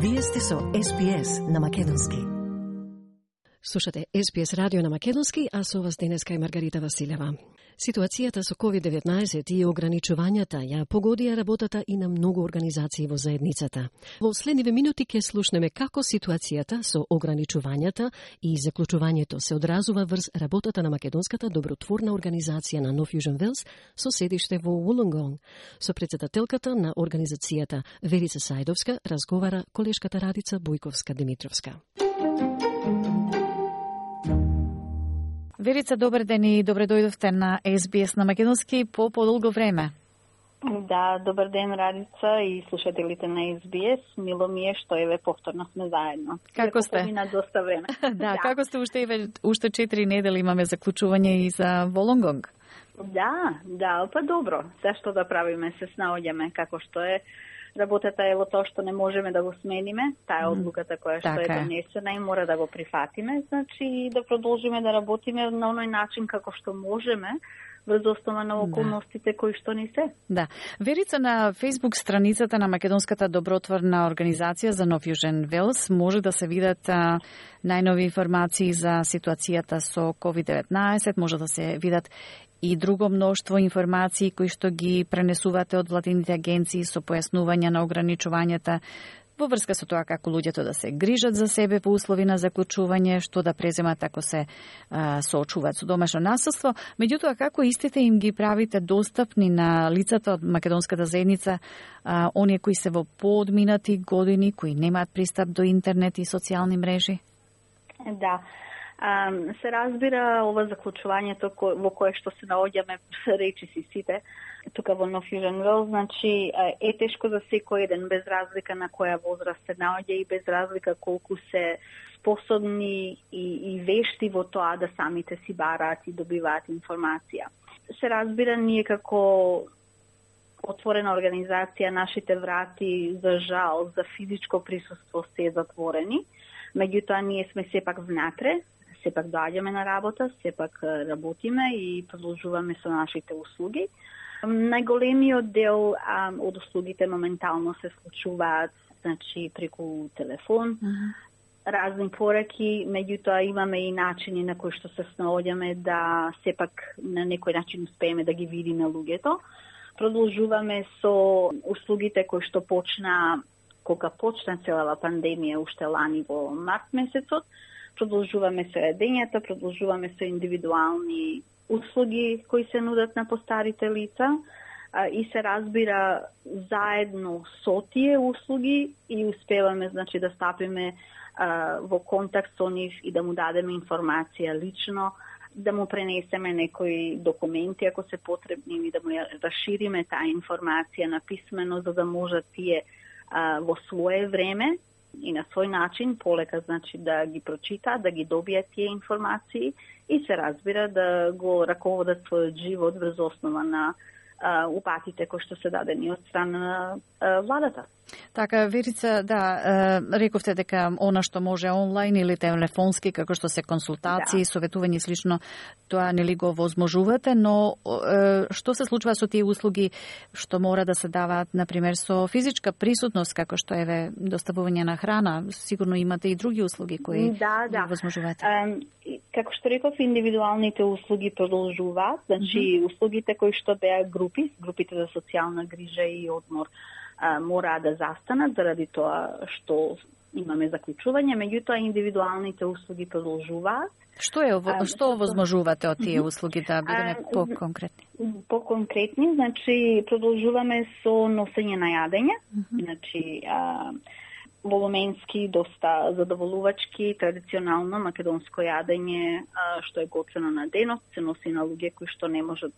Вие сте со SBS на македонски. Слушате SBS радио на македонски, а со вас денеска е Маргарита Василева. Ситуацијата со COVID-19 и ограничувањата ја погодија работата и на многу организации во заедницата. Во следниве минути ќе слушнеме како ситуацијата со ограничувањата и заклучувањето се одразува врз работата на македонската добротворна организација на No Fusion Wales со седиште во Wollongong. Со претседателката на организацијата Верица Сајдовска разговара колешката Радица Бојковска-Димитровска. Верица, добар ден и добре дојдовте на SBS на македонски по подолго време. Да, добар ден, Радица и слушателите на SBS. Мило ми е што еве повторно сме заедно. Како сте? На доста време. Да, како сте уште 4 недели имаме заклучување и за Wollongong? Да, па добро. Зашто да правиме, се снаоѓаме како што е. Работата е во тоа што не можеме да го смениме, таа е одлуката која што е донесена и мора да го прифатиме, значи да продолжиме да работиме на оној начин како што можеме, врз основа на околностите кои што ни се. Да. Верица, на Facebook страницата на Македонската добротворна организација за No Fusion Wales може да се видат најнови информации за ситуацијата со COVID-19, може да се видат и друго мноштво информации кои што ги пренесувате од владините агенции со појаснување на ограничувањата во врска со тоа како луѓето да се грижат за себе по услови на заклучување, што да преземат ако се соочуваат со домашно насилство. Меѓутоа, како истите им ги правите достапни на лицата од македонската заедница, оние кои се во поодминати години, кои немаат пристап до интернет и социјални мрежи? Да. Се разбира ова заклучувањето во кое што се наоѓаме речиси сите тука во No Fusion Wales, значи е тешко за секој еден без разлика на која возраст се наоѓа и без разлика колку се способни и вешти во тоа да самите си бараат и добиваат информација. Се разбира, ние како отворена организација, нашите врати за жал за физичко присуство се затворени, меѓутоа ние сме сепак внатре, сепак доаѓаме на работа, сепак работиме и продолжуваме со нашите услуги. Најголемиот дел од услугите моментално се случуваат, значи преку телефон, разни пораки, меѓутоа имаме и начини на кои што се снаоѓаме да сепак на некој начин успееме да ги видиме луѓето. Продолжуваме со услугите кои што кога почна целава пандемија уште лани во март месецот. Продолжуваме со јадењата, продолжуваме со индивидуални услуги кои се нудат на постарите лица и се разбира заедно со тие услуги и успеваме, значи, да стапиме во контакт со нив и да му дадеме информација лично, да му пренесеме некои документи ако се потребни и да му ја расшириме таа информација на писмено за да можат тие во свое време и на свој начин полека, значи, да ги прочитаат, да ги добијат тие информации и се разбира да го раководат својот живот врз основа на упатите кои што се дадени од страна на владата. Така, Верица, да, рековте дека она што може онлайн или телефонски, како што се консултации, советување и слично, тоа нели го возможувате, но што се случува со тие услуги што мора да се даваат, например, со физичка присутност, како што е доставување на храна? Сигурно имате и други услуги кои ги возможувате. Како што реков, индивидуалните услуги продолжуваат, значи услугите кои што беа групите за социјална грижа и одмор мора да застанат заради тоа што имаме заклучување, меѓутоа индивидуалните услуги продолжуваат. Што возможувате од тие услуги, да бидеме по-конкретни? По-конкретни, значи продолжуваме со носење на јадење, значи волуменски, доста задоволувачки, традиционално македонско јадење што е готвено на денот, се носи на луѓе кои што не можат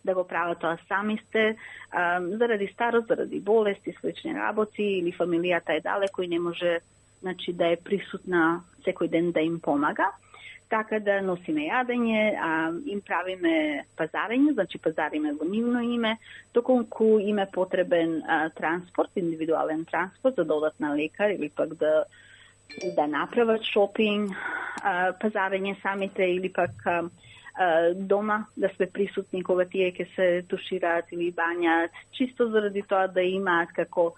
да го прават тоа сами сте, заради старост, заради болести, слични работи или фамилијата е далеко и не може, значи, да е присутна секој ден да им помага. Така да носиме јадење, им правиме пазарење, значи пазариме во нивно име, доколку им е потребен транспорт, индивидуален транспорт за да одат на лекар или пак да направат шопинг, пазарење самите или пак дома да сме присутни кога тие ќе се тушираат или бањаат, чисто заради тоа да имаат како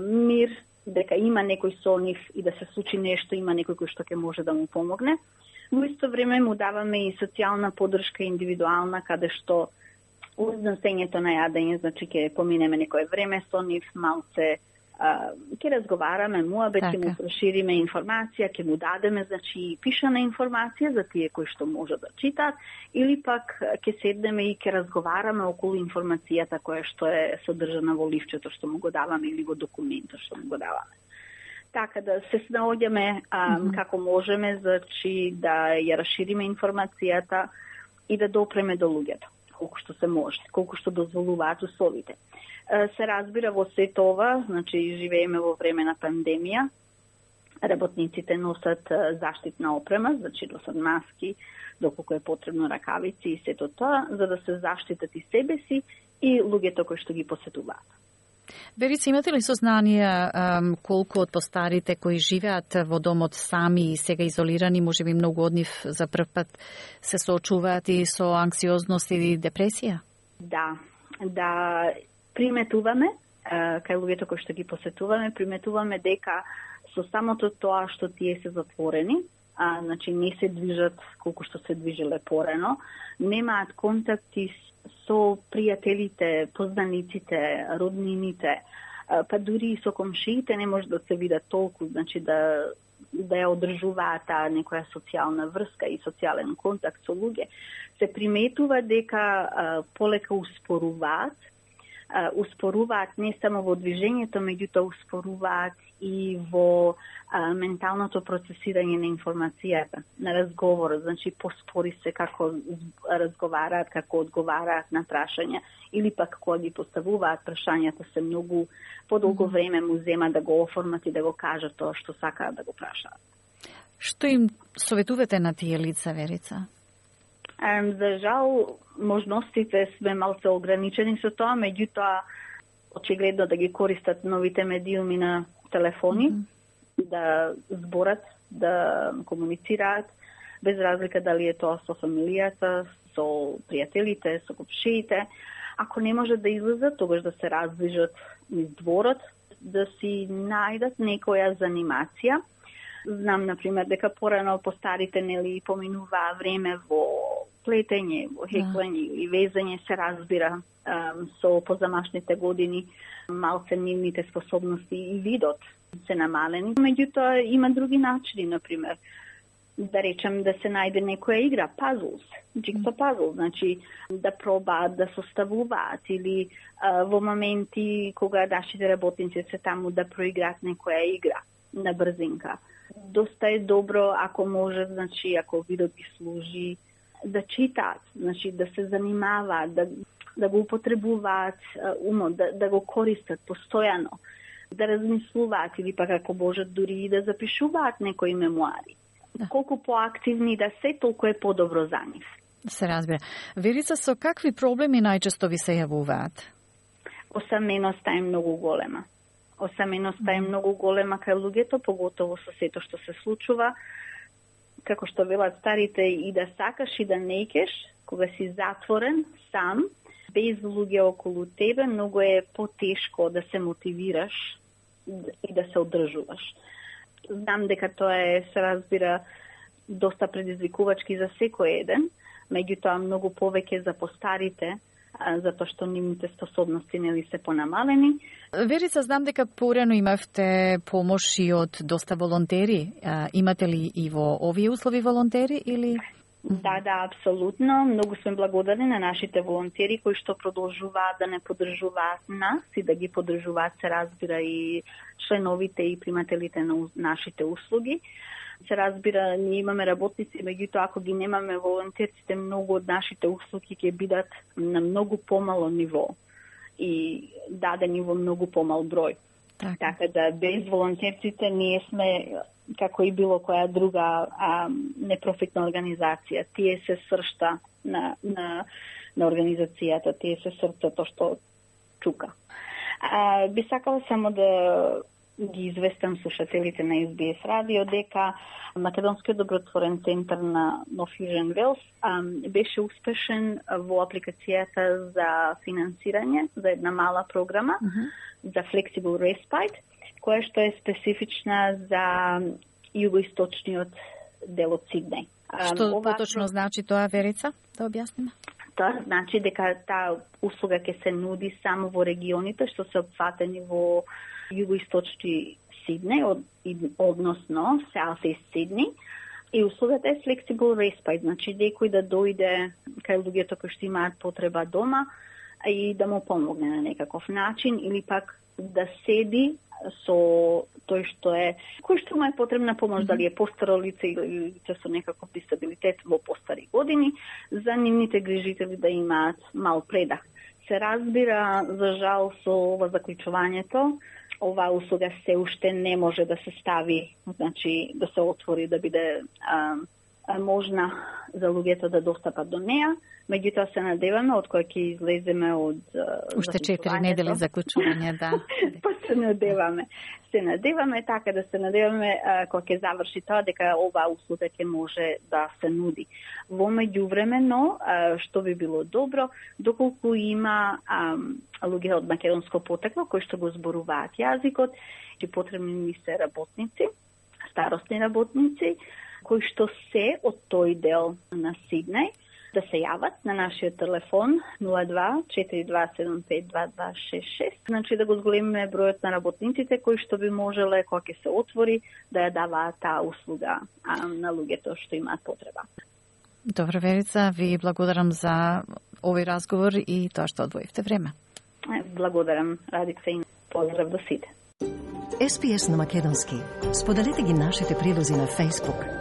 мир дека има некој со нив и да се случи нешто, има некој кој што ќе може да му помогне. Во исто време му даваме и социјална поддршка индивидуална, каде што uz носењето на јадење, значи ќе поминеме некое време со нив, малце ќе разговараме, муабет, ќе му прошириме информација, ќе му дадеме, значи, пишана информација за тие кои што може да читат, или пак ќе седнеме и ќе разговараме околу информацијата која што е содржана во ливчето што му го даваме или во документот што му го даваме. Така да се снаоѓаме како можеме, значи да ја расшириме информацијата и да допреме до луѓето, колку што се може, колку што дозволуваат условите. Се разбира во сето ова, значи живееме во време на пандемија, работниците носат заштитна опрема, значи носат маски, доколку е потребно ракавици и сето тоа, за да се заштитат и себе си и луѓето кои што ги посетуваат. Верица, имате ли сознание колку од постарите кои живеат во домот сами и сега изолирани, можеби многу од нив за прв пат се соочуваат и со анксиозност или депресија? Да, приметуваме, кај луѓето кои што ги посетуваме, приметуваме дека со самото тоа што тие се затворени, значи не се движат колку што се движиле порано, немаат контакти со пријателите, познаниците, роднините, па дури и со комшиите не може да се видат толку, значи да ја одржуваат таа некоја социјална врска и социјален контакт со луѓе, се приметува дека полека успоруваат не само во движењето, меѓутоа успоруваат и во менталното процесирање на информацијата, на разговорот, значи поспори се како разговараат, како одговараат на прашања, или пак кога ги поставуваат прашањата се многу подолго време му зема да го оформат и да го кажат тоа што сакаат да го прашаат. Што им советувате на тие лица, Верица? За жал, можностите сме малце ограничени со тоа, меѓутоа очигледно да ги користат новите медиуми на телефони, да зборат, да комуницираат, без разлика дали е тоа со фамилијата, со пријателите, со комшиите. Ако не можат да излезат, тогаш да се раздвижат низ дворот, да си најдат некоја занимација. Знам, например, дека порано постарите нели поминуваа време во плетење, во хеклење или везење, се разбира со позамашните години, малце нивните способности и видот се намалени. Меѓутоа има други начини, например, да речем да се најде некоја игра, пазлс, джигсо пазл, значи да пробаат да составуваат или во моменти кога нашите работници се таму да проиграат некоја игра на брзинка. Доста е добро ако може, значи ако видот ги служи, да читаат, значи да се занимаваат, да го употребуваат умот, да го користат постојано, да размислуваат или пак ако можат дури и да запишуваат некои мемуари. Колку поактивни да се, толку е подобро за нив. Се разбира. Верица, со какви проблеми најчесто ви се јавуваат? Осаменоста е многу голема. Осаменоста е многу голема кај луѓето, поготово со сето што се случува. Како што велат старите, и да сакаш и да не икеш, кога си затворен, сам, без луѓе околу тебе, многу е потешко да се мотивираш и да се одржуваш. Знам дека тоа се разбира доста предизвикувачки за секој еден, меѓутоа многу повеќе за постарите, затоа што нивните способности нели се понамалени. Верица, знам дека порано имавте помош и од доста волонтери. Имате ли и во овие услови волонтери или? Да, апсолутно. Многу сме благодарни на нашите волонтери кои што продолжуваат да не поддржуваат нас и да ги поддржуваат, се разбира, и членовите и примателите на нашите услуги. Се разбира, ние имаме работници, меѓутоа ако ги немаме волонтерците, многу од нашите услуги ќе бидат на многу помало ниво и дадени во многу помал број. Така да без волонтерците ние сме како и било која друга непрофитна организација. Тие се сршта на организацијата, тие се срцето што чука. Би сакала само да ги известам слушателите на SBS радио дека Македонскиот добротворен центар на No Fusion Wales беше успешен во апликацијата за финансирање за една мала програма за Flexible Respite, која што е специфична за југоисточниот дел од Сиднеј. Што поточно значи тоа, Верица, да објасниме? Тоа значи дека таа услуга ќе се нуди само во регионите што се опфатени во југоисточни Сиднеј, односно South East Сиднеј. И услугата е flexible respite, значи некој да дојде кај луѓето кои што имаат потреба дома и да му помогне на некаков начин или пак да седи со тој што е, кој што му е потребна помош, дали е постаро лице или лице со некаков дисабилитет во постари години, за нивните грижители да имаат мал предах. Се разбира, за жал, со ова заклучувањето, оваа услуга се уште не може да се стави, значи да се отвори, да биде можна за луѓето да достапат до неа. Меѓутоа се надеваме од кој ќе излеземе од уште 4 недели заклучување, да. Па се надеваме. Се надеваме така да се надеваме кога ќе заврши тоа дека оваа услуга ќе може да се нуди. Во меѓувремено, што би било добро, доколку има луѓе од македонско потекло кои што го зборуваат јазикот, и потребни ни се работници, старосни работници, кои што се од тој дел на Сиднеј, да се јават на нашиот телефон 02-4275-2266. Значи да го зголемиме бројот на работниците кои што би можеле, кога ќе се отвори, да ја даваат таа услуга на луѓето што имаат потреба. Добро, Верица, ви благодарам за овој разговор и тоа што одвоивте време. Благодарам, Радица, и поздрав до сите. SPS на македонски. Споделете ги нашите прилози на Facebook,